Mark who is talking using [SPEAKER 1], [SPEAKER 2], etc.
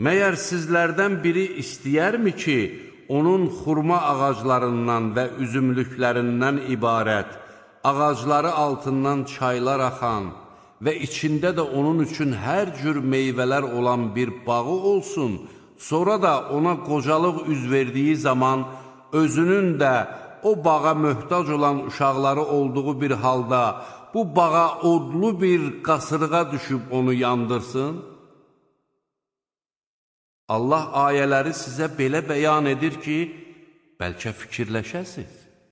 [SPEAKER 1] Məyər sizlərdən biri istəyərmi ki, onun xurma ağaclarından və üzümlüklərindən ibarət, ağacları altından çaylar axan və içində də onun üçün hər cür meyvələr olan bir bağı olsun, sonra da ona qocalıq üz verdiyi zaman özünün də o bağa möhtac olan uşaqları olduğu bir halda bu bağa odlu bir qasırğa düşüb onu yandırsın? Allah ayələri sizə belə bəyan edir ki, bəlkə fikirləşəsiniz.